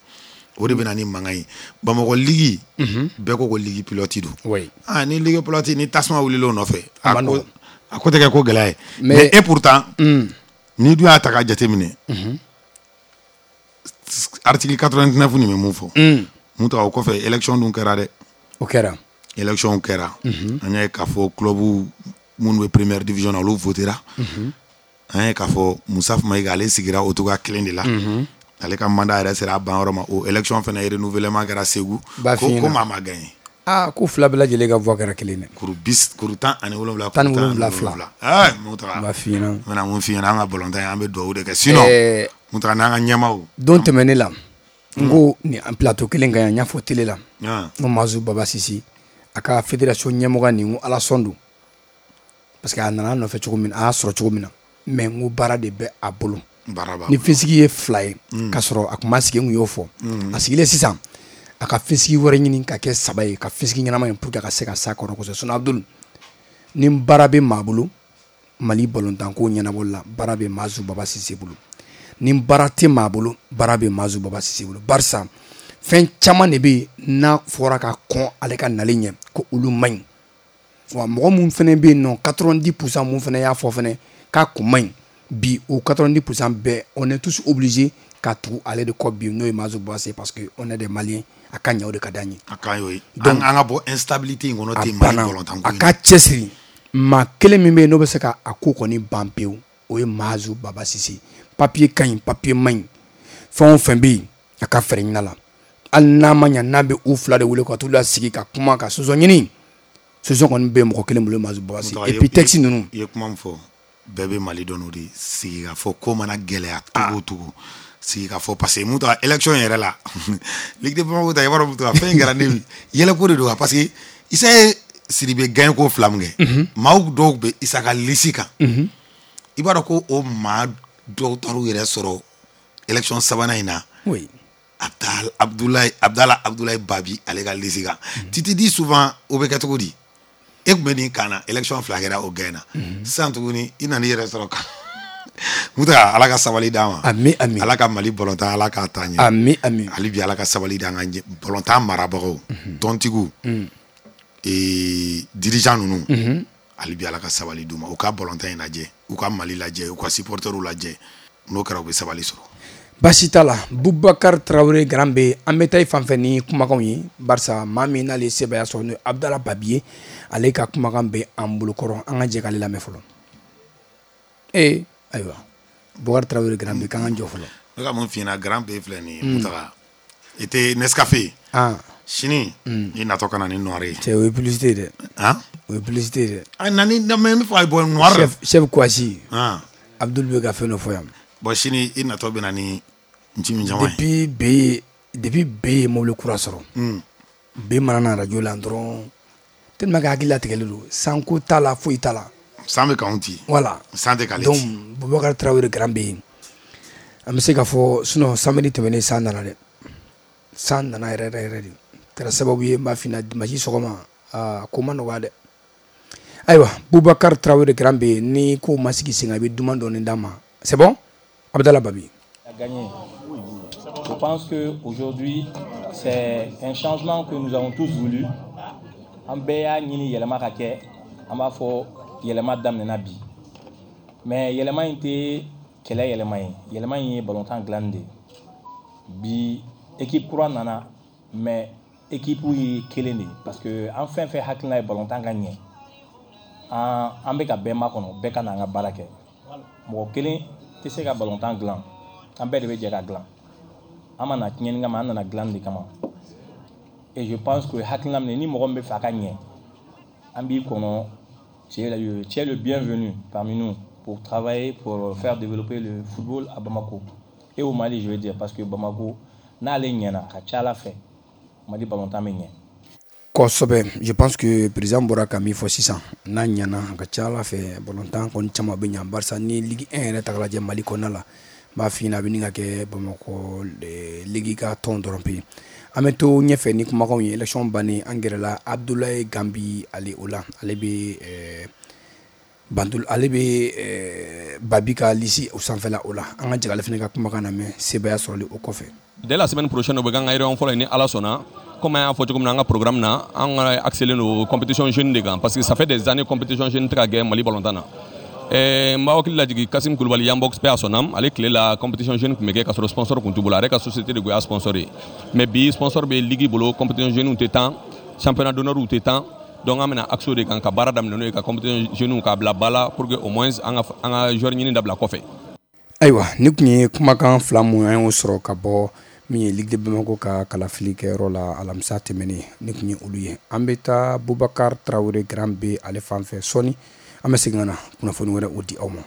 O de bɛ na ni mankan ye. Bamakɔ ligue, bɛɛ ko ko ligue pilote don. Ah, ni ligue pilote ni tasuma wulila o nɔfɛ, a ko tɛ kɛ ko gɛlɛya ye. Mais et pourtant, ni dun y'a ta k'a jateminɛ, article 89 nin bɛ mun fɔ? Mun taga, o kɔfɛ élection dun kɛra dɛ. O kɛra. Élection kɛra, an y'a ye k'a fɔ club minnu bɛ première division na, olu votera. An ye k'a fɔ Musa Mayiga, ale sigira o cogoya kelen de la. Ale ka mandat yɛrɛ sera a ban yɔrɔ ma. O élection fɛnɛ renouvellement kɛra Segu, ko maa ma gagné. Aa, ko fila bɛɛ lajɛlen ka voix kɛra kelen dɛ. Kuru bis, kuru 17. 17 fila. Ɛɛ, mun taga. N b'a f'i ɲɛna. N bɛna mun f'i ɲɛna, an ka balontan an bɛ dugawu de kɛ, sinon mun taga n'an ka ɲɛmaaw. Don tɛmɛnen la, n ko nin plateau kelen kan yan, n y'a fɔ télé la, n ko Mazu Baba Sise a ka fédération ɲɛmɔgɔ nin, n ko ala sɔn don, parce que a nana a nɔfɛ cogo min na, a y'a sɔrɔ cogo min na, mais n ko baara de bɛ a bolo. Ni finsigi ye fila ye k'a sɔrɔ a kun ma sigi, n kun y'o fɔ. A sigilen sisan, a ka finsigi wɛrɛ ɲini ka kɛ saba ye, ka finsigi ɲɛnama ye, pour que a ka se ka s'a kɔrɔ kosɛbɛ. Sinon Abdul, ni baara bɛ maa bolo Mali balontanko ɲɛnabɔli la, baara bɛ Mazu Baba Sise bolo. Ni baara tɛ maa bolo, baara bɛ Mazu Baba Sise bolo, barisa fɛn caman de bɛ yen n'a fɔra ka kɔn ale ka nalen ɲɛ ko olu man ɲi. Wa mɔgɔ mun fɛnɛ bɛ yen nɔ, 90% mun fɛnɛ y'a fɔ fɛnɛ k'a kun man ɲi bi, o 90% bɛɛ, on est tous obligés ka tugu ale de kɔ bi, n'o ye Mazu Baba Sise, parce que on est des Maliens. A ka ɲɛ, o de ka d'an ye. A ka ɲi o ye. Donc an ka bɔ instabilité in kɔnɔ ten Mali balontan ko in. A ka cɛsiri, maa kelen min bɛ yen n'o bɛ se ka a ko kɔni ban pewu, o ye Mazu Baba Sise. Papier ka ɲi, papier man ɲi, fɛn o fɛn bɛ yen, a ka fɛɛrɛ ɲini a la. Hali n'a ma ɲa n'a bɛ u fila de wele ka t'u lasigi ka kuma ka solution ɲini, solution kɔni bɛ mɔgɔ kelen bolo, Mazu Baba Sise. Et puis texte ninnu. I ye kuma min fɔ, bɛɛ bɛ Mali dɔn, o de sigi ka fɔ ko mana gɛlɛya cogo o cogo, Sigi ka fɔ parce que mun ta élection yɛrɛ la, Ligue de Bamako ta, i b'a dɔn, mun fɛn in kɛra ne yɛlɛko de don, parce que Issa ye Sidibe gagné ko fila min kɛ, maaw dɔw bɛ Issa ka liste kan, i b'a dɔn ko o maa dɔw taar'u yɛrɛ sɔrɔ élection sabanan in na. Abdoulaye Abdallah Abdoulaye Babi, ale ka liste kan. Tu te dis souvent, o bɛ kɛ cogo di? E tun bɛ nin kan na, élection fila kɛra, o gagné na. Sisan tuguni i nana i yɛrɛ sɔrɔ kan. Muta, Ala ka sabali d'an ma. Ami, ami. Ala ka Mali bɔlɔntan, Ala k'a taa ɲɛ. Ami, ami. Hali bi, Ala ka sabali d'an ka bɔlɔntan marabagaw, tɔntigiw, dirigeant ninnu. Hali bi, Ala ka sabali d'u ma, u ka bɔlɔntan in lajɛ, u ka Mali lajɛ, u ka supporterw lajɛ. N'o kɛra, u bɛ sabali sɔrɔ. Baasi t'a la. Bubakar Tarawele Grand B, an bɛ taa i fan fɛ ni kumakanw ye, barisa maa min n'ale ye sebaaya sɔrɔ, n'o ye Abdala Babi ye, ale ka kumakan bɛ an bolokɔrɔ. An ka jɛ k'ale lamɛn fɔlɔ. Ee, ayiwa, Bubakar Tarawele Grand B, k'an ka jɔ fɔlɔ. Ne ka mun f'i ɲɛna, Grand B filɛ nin ye, Mutaga, i tɛ Nescafé sini, i natɔ ka na ni noir ye. Cɛ, o ye publicité ye dɛ. Han? O ye publicité ye dɛ. A na ni, mais n bɛ fɛ ka bɔ noir. Chef Kouassi. Abdul bɛ ka fɛn dɔ fɔ yan. Bon, sini i natɔ bɛ na ni nci min caman ye. Depuis B ye mobili kura sɔrɔ, B mana na radio la dɔrɔn, tellement que hakili latigɛlen don, sanko t'a la, foyi t'a la. San bɛ k'anw ci. Voilà. San tɛ k'ale donc ci. Bubakar Tarawele Grand B, an bɛ se k'a fɔ, sinon samedi tɛmɛnen san nana dɛ, san nana yɛrɛ yɛrɛ yɛrɛ de, kɛra sababu ye n b'a f'i ɲɛna, dimanche sɔgɔma, aa, ko ma nɔgɔya dɛ. Ayiwa, Bubakar Tarawele Grand B, ni ko ma sigi sen kan, i bɛ duman dɔɔni d'a ma. C'est bon, Abdallah Babi. A gagné. Je pense qu'aujourd'hui, c'est un changement que nous avons tous voulu. An bɛɛ y'a ɲini yɛlɛma ka kɛ, an b'a fɔ yɛlɛma daminɛna bi. Mais yɛlɛma in tɛ kɛlɛ yɛlɛma ye, yɛlɛma in ye balontan dilanni de ye. Bi équipe kura nana, mais équipe ye kelen de ye, parce que an fɛn fɛn hakilina ye balontan ka ɲɛ, an bɛ ka bɛɛ makɔnɔ, bɛɛ ka na an ka baara kɛ. Mɔgɔ kelen tɛ se ka balontan dilan, an bɛɛ de bɛ jɛ ka dilan. An ma na tiɲɛni kama, an nana dilanni de kama. Et je pense que hakilina min, ni mɔgɔ min bɛ fɛ a ka ɲɛ, an b'i kɔnɔ. Tu es le bienvenu parmi nous pour travailler, pour faire développer le football à Bamako et au Mali, je veux dire, parce que Bamako n'ale ɲɛna, ka ca Ala fɛ, Mali balontan bɛ ɲɛ. Kosɛbɛ. Je pense que président bɔra ka min fɔ sisan, n'a ɲɛna, a ka ca Ala fɛ, balontan kɔni caman bɛ ɲa, barisa ni Ligue 1 yɛrɛ ta k'a lajɛ Mali kɔnɔna la, n b'a f'i ɲɛna, a bɛ nin ka kɛ Bamakɔ ligue ka tɔn dɔrɔn pe. An bɛ to ɲɛfɛ ni kumakanw ye. Élection bannen, an gɛrɛla Abdoulaye Gambi, ale o la, ale bɛ Bandul, ale bɛ Babi ka liste o sanfɛla o la. An ka jɛ k'ale fana ka kumakan lamɛn sebaaya sɔrɔli o kɔfɛ. Dès la semaine prochaine, o bɛ k'an ka réunion fɔlɔ ye, ni Ala sɔnna. Comme an y'a fɔ cogo min na, an ka programme na, an ka axelen don compétition jeune de kan, parce que ça fait des années compétition jeune tɛ ka kɛ Mali balontan na. N b'aw hakili lajigin, Kasim Kulubali Yanbox, paix à son âme, ale tile la, compétition jeune tun bɛ kɛ ka sɔrɔ sponsor tun t'u bolo, a yɛrɛ ka société de tun y'a sponsor ye. Mais bi sponsor bɛ ligue bolo, compétition jeune tɛ tan, championnat d'honneur tɛ tan. Donc an bɛna axe o de kan ka baara daminɛ n'o ye, ka compétition jeune k'a bila ba la, pour que au moins an ka joueur ɲini dabila kɔfɛ. Ayiwa, ni tun ye kumakan fila mun an y'o sɔrɔ ka bɔ min ye Ligue de Bamako ka kalafili kɛyɔrɔ la alamisa tɛmɛnen, ni tun ye olu ye. An bɛ taa Bubakar Tarawele Grand B ale fan fɛ sɔɔni, an bɛ segin ka na kunnafoni wɛrɛ o di aw ma.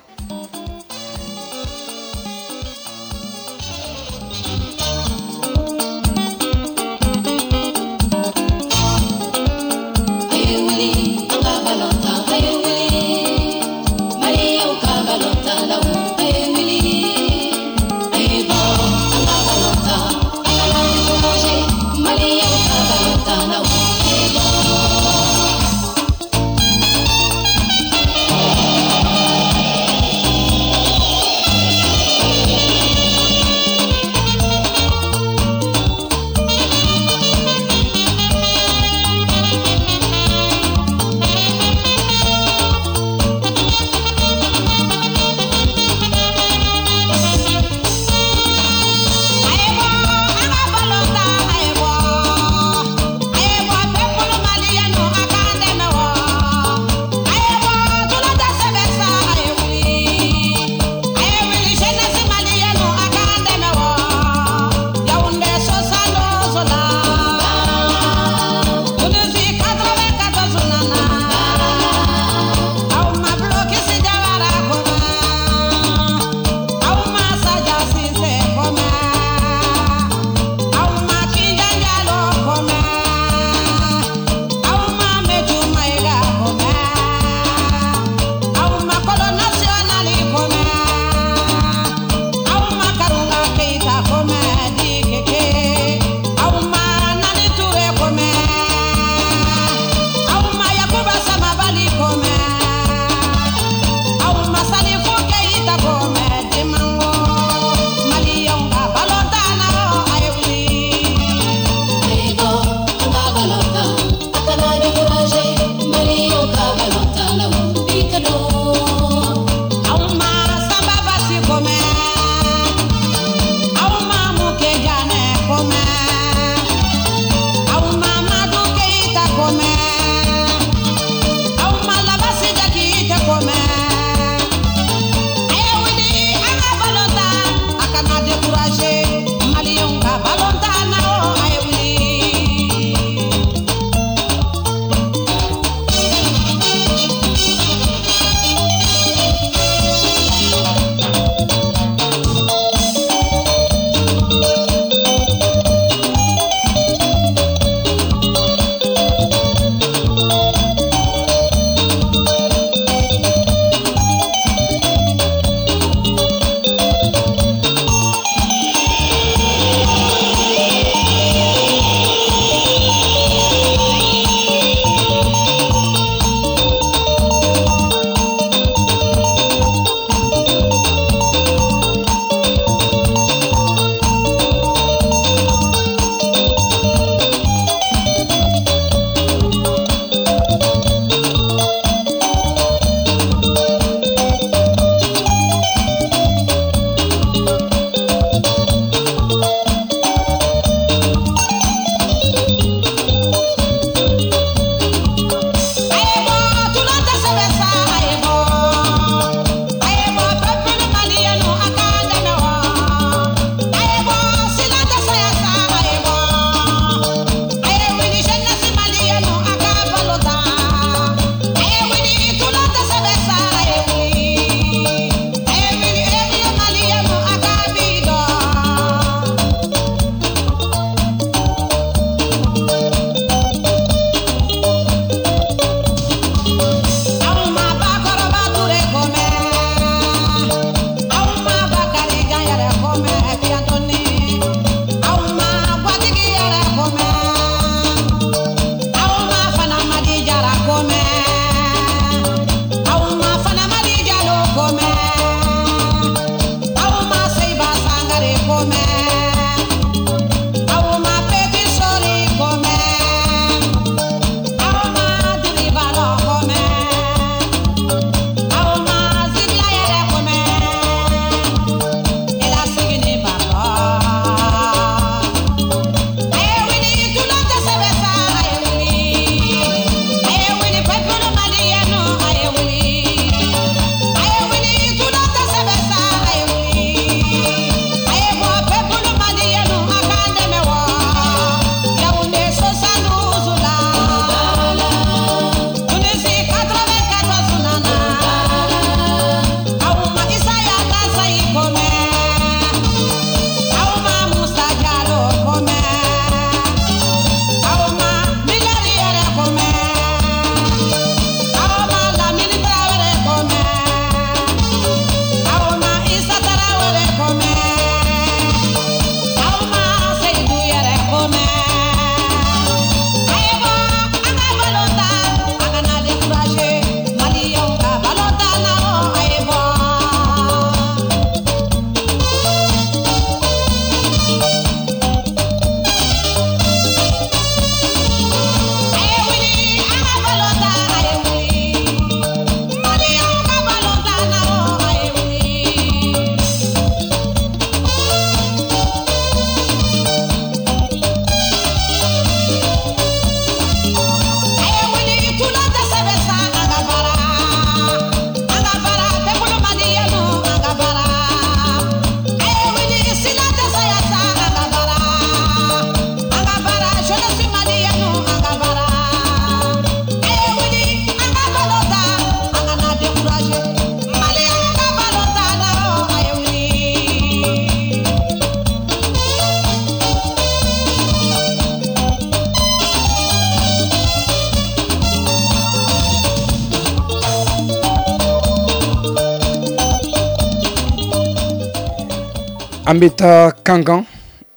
An bɛ taa Kankan.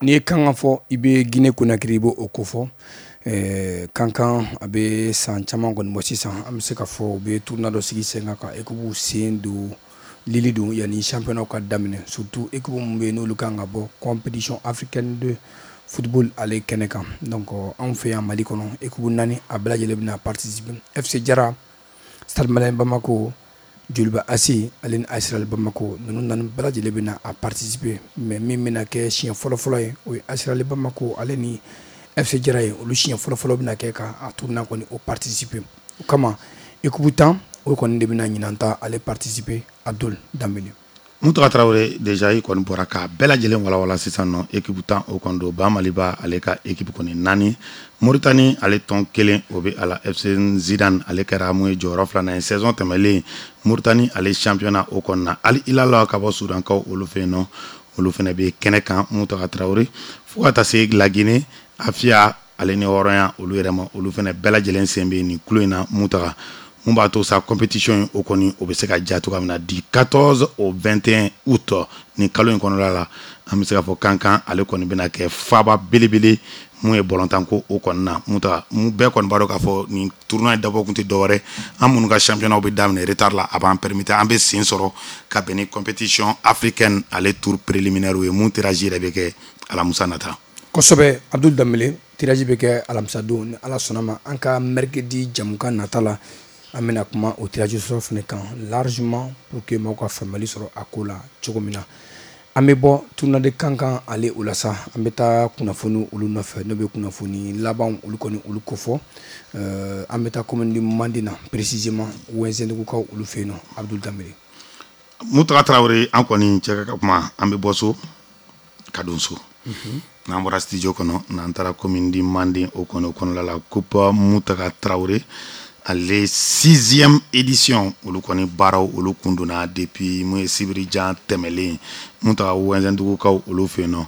N'i ye Kankan fɔ, i bɛ Guinée Conakry, i b'o kofɔ. Kankan a bɛ san caman kɔni bɔ sisan, an bɛ se ka fɔ u bɛ tournoi dɔ sigi sen kan ka équipe sen don lili don yanni championnat ka daminɛ, surtout équipe min bɛ yen n'olu kan ka bɔ compétition africaine de football ale kɛnɛ kan. Donc anw fɛ yan Mali kɔnɔ, équipe naani a bɛɛ lajɛlen bɛna participer: FC Jara, Stade Malien Bamako, Joliba AC ale ni AS Real Bamako. Ninnu naani bɛɛ lajɛlen bɛna a participer, mais min bɛna kɛ siɲɛ fɔlɔ-fɔlɔ ye, o ye AS Real Bamako ale ni FC Jara ye. Olu siɲɛ fɔlɔ-fɔlɔ bɛna kɛ ka a tournoi kɔni o participer. O kama équipe 10 O kɔni de bɛna ɲinan ta ale participer, Abdul Danbele. Mutaga Tarawele, déjà i kɔni bɔra k'a bɛɛ lajɛlen walawala. Sisan nɔ, équipe 10 o kɔni don. Ba Maliba ale ka équipe kɔni naani, Moritani ale tɔn kelen o bɛ a la. FC Zidane ale kɛra mun ye jɔyɔrɔ filanan ye saison tɛmɛlen Moritani ale championnat o kɔni na. Al Hilal ka bɔ Sudankaw olu fɛ yen nɔ, olu fana bɛ kɛnɛ kan, Mutaga Tarawele, fo ka taa se Laginɛ, Afiya ale ni hɔrɔnya olu yɛrɛ ma. Olu fana bɛɛ lajɛlen sen bɛ nin kulo in na, Mutaga. Mun b'a to sa compétition in o kɔni o bɛ se ka ja cogoya min na, du 14 au 21 août nin kalo in kɔnɔna la, an bɛ se k'a fɔ Kankan ale kɔni bɛna kɛ faaba belebele mun ye bɔlɔntanko o kɔni na. Mutaga, mun bɛɛ kɔni b'a dɔn k'a fɔ nin tournoi in dabɔ kun tɛ dɔwɛrɛ, an minnu ka championnat bɛ daminɛ retard la, a b'an permettre an bɛ sen sɔrɔ ka bɛn ni compétition africaine ale tour préliminaire ye, mun tirage yɛrɛ bɛ kɛ alamisa nata. Kosɛbɛ, Abdul Danbele. Tirage bɛ kɛ alamisa don, ni Ala sɔnna ma. An ka mercredi jamukan nata la, an bɛna kuma o tirage sɔrɔ fana kan largement pour que maaw ka faamuyali sɔrɔ a ko la cogo min na. An bɛ bɔ tournoi de Kankan ale o la sa, an bɛ taa kunnafoni olu nɔfɛ, n'o bɛ kunnafoni laban olu kɔni olu kofɔ. An bɛ taa commune de Manden na, précisément Wɛnzɛndugukaw olu fɛ yen nɔ, Abdul Danbele. Mutaga Tarawele, an kɔni cɛ ka kuma, an bɛ bɔ so ka don so. N'an bɔra studio kɔnɔ, n'an taara commune de Manden o kɔni o kɔnɔna la, coupe Mutaga Tarawele ale sixième édition, olu kɔni baaraw olu kun donna depuis mun ye sibiri jan tɛmɛlen, Mutaga, Wɛnzɛndugukaw olu fɛ yen nɔ.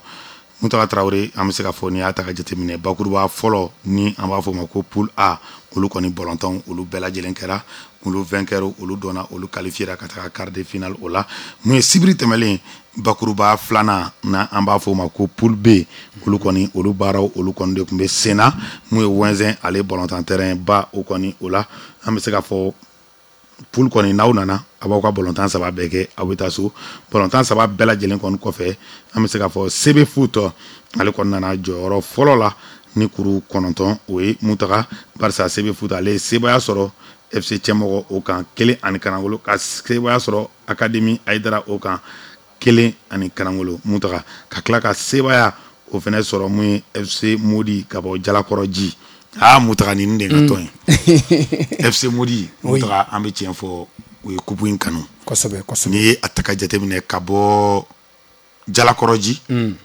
Mutaga Tarawele, an bɛ se k'a fɔ n'i y'a ta ka jateminɛ, bakuruba fɔlɔ ni an b'a fɔ o ma ko poule A, olu kɔni bɔlɔntɔn olu bɛɛ lajɛlen kɛra. Olu vainqueur olu dɔnna, olu qualifiera ka taga quart de finale o la. Mun ye sibiri tɛmɛlen, bakuruba filanan na an b'a fɔ o ma ko poule B, olu kɔni olu baaraw olu kɔni de tun bɛ sen na, mun ye Wɛnzɛn ale bɔlɔntan terrain ba o kɔni o la. An bɛ se k'a fɔ poule kɔni, n'aw nana a b'aw ka bɔlɔntan saba bɛɛ kɛ, aw bɛ taa so. Bɔlɔntan saba bɛɛ lajɛlen kɔni kɔfɛ, an bɛ se k'a fɔ CB Foot ale kɔni nana jɔyɔrɔ fɔlɔ la ni kuru 9 o ye, Mutaga, barisa CB Foot ale ye sebaaya sɔrɔ FC Cɛmɔgɔ o kan 1-0, ka sebaaya sɔrɔ Académie Ayidara o kan 1-0, Mutaga, ka tila ka sebaaya o fana sɔrɔ mun ye FC Modi ka bɔ Jalakɔrɔji. Aa Mutaga, nin de ka tɔn ye FC Modi. Mutaga, an bɛ tiɲɛ fɔ, u ye coupe in kanu. Kosɛbɛ kosɛbɛ. N'i ye a ta ka jateminɛ ka bɔ Jalakɔrɔji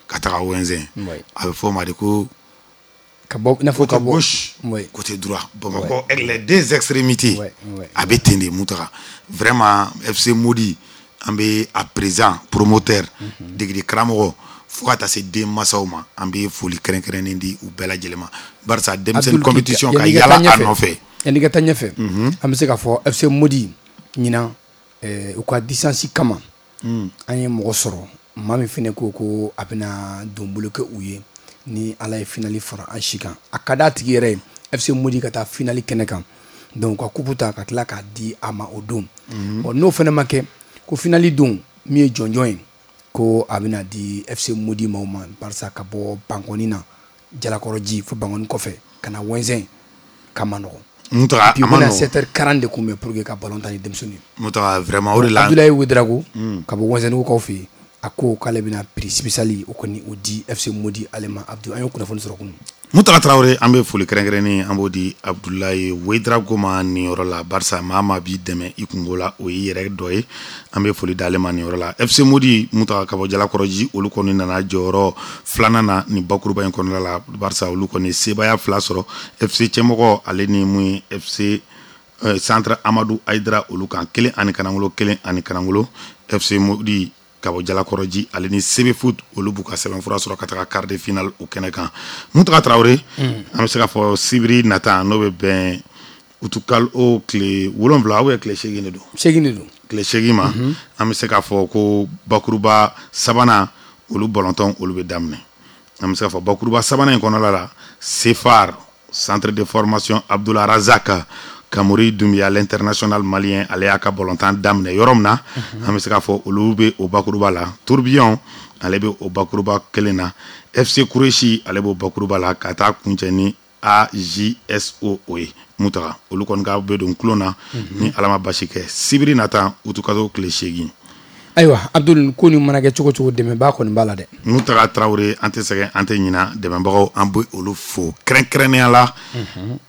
ka taga Wɛnzɛn, a bɛ fɔ o ma de ko ka bɔ i n'a fɔ ka bɔ gauche, côté droit, Bamakɔ, les deux extrémités, a bɛ ten de, Mutaga. Vraiment, FC Modi, an bɛ a président, promoteur, degeli karamɔgɔ, fo ka taa se denmansaw ma, an bɛ foli kɛrɛnkɛrɛnnen di u bɛɛ lajɛlen ma, barisa denmisɛnnin compétition ka yala a nɔfɛ. Yanni ka taa ɲɛfɛ, an bɛ se k'a fɔ FC Modi ɲinan, u ka distance kama, an ye mɔgɔ sɔrɔ, maa min fana ko ko a bɛna donbolo kɛ u ye ni Ala ye finale fara an si kan. A ka d'a tigi yɛrɛ ye FC Modi ka taa finale kɛnɛ kan, donc ka coupe ta ka tila k'a di a ma o don. Bon, n'o fana ma kɛ, ko finale don min ye jɔnjɔn ye, ko a bɛna di FC Modi maaw ma, barisa ka bɔ Bankɔni na, Jalakɔrɔji fo Bankɔni kɔfɛ ka na Wɛnzɛn ka ma nɔgɔn. Mutaga, a ma nɔgɔn. 7h40 de kunbɛn pour que ka ballon tan ni denmisɛnnin ye. Mutaga, vraiment o de la. Abdoulaye Ouedraogo ka bɔ Wɛnzɛndugukaw fɛ yen, a ko k'ale bɛna prix spécial o kɔni o di FC Modi ale ma. Abdou, an y'o kunnafoni sɔrɔ kunun. Mutaga Tarawele, an bɛ foli kɛrɛnkɛrɛnnen an b'o di Abdoulaye Ouedraogo ma nin yɔrɔ la, barisa maa maa b'i dɛmɛ i kungo la, o y'i yɛrɛ dɔ ye. An bɛ foli d'ale ma nin yɔrɔ la. FC Modi, Mutaga, ka bɔ Jalakɔrɔji, olu kɔni nana jɔyɔrɔ filanan na nin bakuruba in kɔnɔna la, barisa olu kɔni sebaaya fila sɔrɔ FC Cɛmɔgɔ ale ni mun ye FC Centre Amadou Ayidara olu kan 1-0, 1-0. FC Modi ka bɔ Jalakɔrɔji ale ni CB Foot, olu b'u ka sɛbɛnfura sɔrɔ ka taga quart de finale o kɛnɛ kan. Mutaga Tarawele, an bɛ se k'a fɔ sibiri nata, n'o bɛ bɛn utukalo tile 7 ou tile 8 de don. 8 de don. Tile 8 ma, an bɛ se k'a fɔ ko bakuruba sabanan olu bɔlɔntɔn olu bɛ daminɛ. An bɛ se k'a fɔ bakuruba sabanan in kɔnɔna la, CFAR, Centre de formation Abdoulaye Razak Kamori Doumbia, l'international malien, ale y'a ka bɔlɔntan daminɛ yɔrɔ min na, an bɛ se k'a fɔ olu bɛ o bakuruba la. Tourbillon ale bɛ o bakuruba kelen na, FC Kureshi ale b'o bakuruba la, ka taa kuncɛ ni AJSO o ye, Mutaga. Olu kɔni ka bɛ don kulon na ni Ala ma basi kɛ sibiri nata utukalo tile 8. Ayiwa Abdul, ko nin mana kɛ cogo cogo, dɛmɛbaa kɔni b'a la dɛ. Mutaga Tarawele, an tɛ sɛgɛn, an tɛ ɲina dɛmɛbagaw, an bɛ olu fo kɛrɛnkɛrɛnnenya la,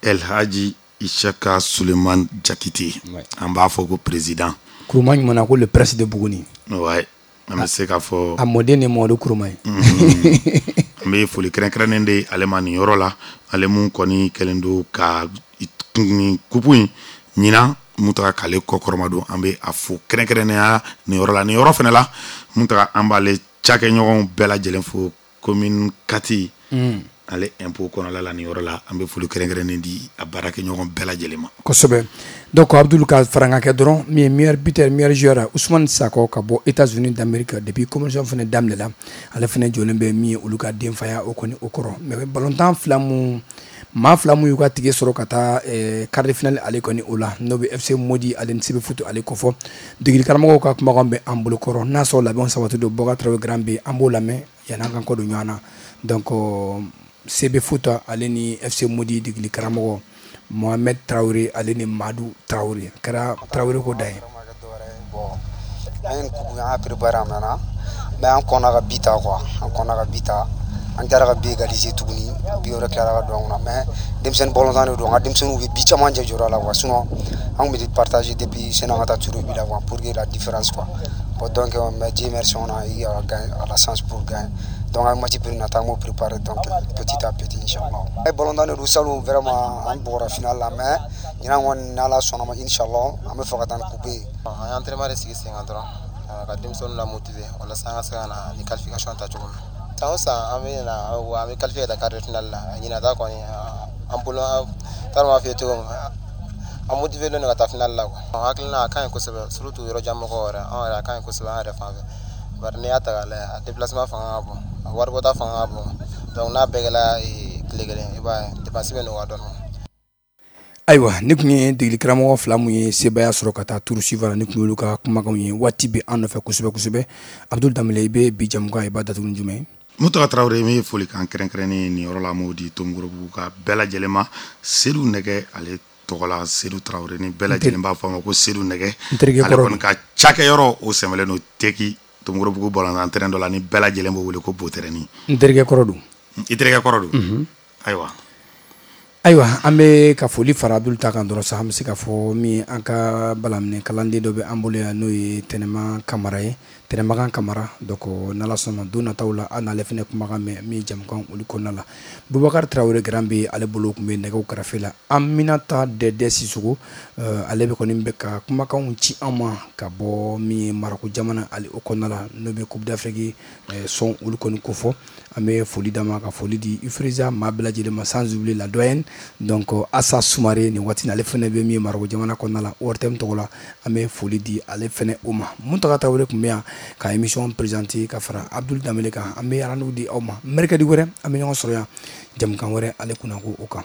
El Hadji Isaka Suleiman Jakite, an b'a fɔ ko président. Kuruma ɲuman na ko le prince de Buguni. Ouais, an bɛ se k'a fɔ. A mɔden ni Mamadu Kuruma ye. An bɛ foli kɛrɛnkɛrɛnnen de ale ma nin yɔrɔ la, ale mun kɔni kɛlen don ka nin coupe in ɲinan mun taga k'ale kɔkɔrɔma don, an bɛ a fo kɛrɛnkɛrɛnnenya nin yɔrɔ la. Nin yɔrɔ fana la, mun taga an b'ale cakɛɲɔgɔnw bɛɛ lajɛlen fo commune 4 ale impôt kɔnɔla la. Nin yɔrɔ la, an bɛ foli kɛrɛnkɛrɛnnen di a baarakɛɲɔgɔn bɛɛ lajɛlen ma. Kosɛbɛ. Donc Abdul, ka farankan kɛ dɔrɔn, min ye meilleur buteur, meilleur joueur, Ousmane Sakɔ ka bɔ États-Unis d'Amérique. Depuis compétition fana daminɛla, ale fana jɔlen bɛ min ye olu ka denfaya o kɔni o kɔrɔ. Mais ballontan fila mun, maa fila mun y'u ka tike sɔrɔ ka taa quart de finale ale kɔni o la, n'o bɛ FC Modi ale ni CB Foot ale kɔfɔ, degeli karamɔgɔw ka kumakan bɛ an bolo kɔrɔ. N'a sɔrɔ labɛnw sabati don, Bɔka Tarawele Grand B, an b'o lamɛn yan'an kan kɔ don ɲɔgɔn na. Donc CB Foot ale ni FC Modi degeli karamɔgɔ Mohamed Traoré ale ni Madu Traoré, kɛra Traoré ko da ye. An ye nin coupe, an y'a préparé a mɛnna, mais an kɔnna ka but ta quoi, an kɔnna ka but ta, an taara ka but égaliser tuguni, but wɛrɛ tilara ka don an kunna. Mais denmisɛnnin balontan de don, an ka denmisɛnninw bɛ but caman jɛ jɔyɔrɔ la quoi. Sinon an tun bɛ partager depuis sani an ka taa tirs au but la quoi, pour que la différence quoi. Bon, donc, mais Dieu merci, on a eu à la chance pour gagner. Donc an ye match nata, an b'o préparer, donc petit à petit, inchallah. Ye balontan de don. Salon, vraiment, an bɔra finale la, mais ɲinan kɔni, n'Ala sɔnna ma, inchallah, an bɛ fɛ ka taa ni coupe ye. An ye entraînement de sigi sen kan dɔrɔn ka denmisɛnninw la motiver walasa an ka se ka na ni qualification ta cogo min. San o san, an bɛ na, an bɛ qualifier ka taa quart de finale la. Ɲinan ta kɔni, an bolo, t'a dɔn b'a f'i ye cogo min, an motiver len don ka taa finale la quoi. Hakilina a ka ɲi kosɛbɛ, surtout yɔrɔ jan mɔgɔw yɛrɛ, anw yɛrɛ, a ka ɲi kosɛbɛ an yɛrɛ fan fɛ, bari n'i y'a ta k'a lajɛ, a déplacement fanga ka bon, a waribɔta fanga ka bon. Donc n'a bɛɛ kɛla tile kelen, i b'a ye dépense bɛ nɔgɔya dɔɔnin. Ayiwa, ne tun ye degeli karamɔgɔ fila mun ye sebaaya sɔrɔ ka taa tour suivant la, ne tun y'olu ka kumakanw ye. Waati bɛ an nɔfɛ kosɛbɛ kosɛbɛ. Abdul Danbele, i bɛ bi jamukan, i b'a datugu ni jumɛn ye? Mutaga Tarawele, min ye folikan kɛrɛnkɛrɛnnen nin yɔrɔ la, m'o di Tomikɔrɔbugu ka bɛɛ lajɛlen ma, Sedu Nɛgɛ ale tɔgɔ la. Sedu Tarawele ni bɛɛ lajɛlen b'a fɔ a ma ko Sedu Nɛgɛ. N terikɛ. Ale kɔni ka cakɛyɔrɔ o sɛmɛlen don Teki Tomikɔrɔbugu balontan terrain dɔ la, ni bɛɛ lajɛlen b'o wele ko Botɛrɛni. N terikɛ kɔrɔ don. I terikɛ kɔrɔ don, ayiwa. Ayiwa, an bɛ ka foli fara Abdul ta kan dɔrɔn sa. An bɛ se ka fɔ min, an ka balaminɛ kalanden dɔ bɛ an bolo yan, n'o ye Tɛnɛma Kamara ye, Tɛnɛmagan Kamara. Donc n'Ala sɔnna, don nataw la, an n'ale fana kumakan mɛn min ye jamukan olu kɔnɔna la. Bubakari Tarawele Grand bɛ ale bolo tun bɛ nɛgɛw kɛrɛfɛ la. Aminata Dɛdɛ Sisoko, ale bɛ kɔni bɛ ka kumakanw ci an ma ka bɔ min ye Marako jamana ale o kɔnɔna la, n'o bɛ Coupe d'Afrique sɔn olu kɔni kofɔ. An bɛ foli d'a ma, ka foli di Ifriza maa bɛɛ lajɛlen ma, sans oublier la doyenne, donc Asa Sumare. Nin waati ale fana bɛ min ye Marako jamana kɔnɔna la, ORTM tɔgɔ la, an bɛ foli di ale fana o ma. Muntaga Tarawele tun bɛ yan ka émission présenter ka fara Abdul Danbele kan. An bɛ rendez-vous di aw ma mercredi wɛrɛ, an bɛ ɲɔgɔn sɔrɔ yan jamukan wɛrɛ ale kunnako o kan.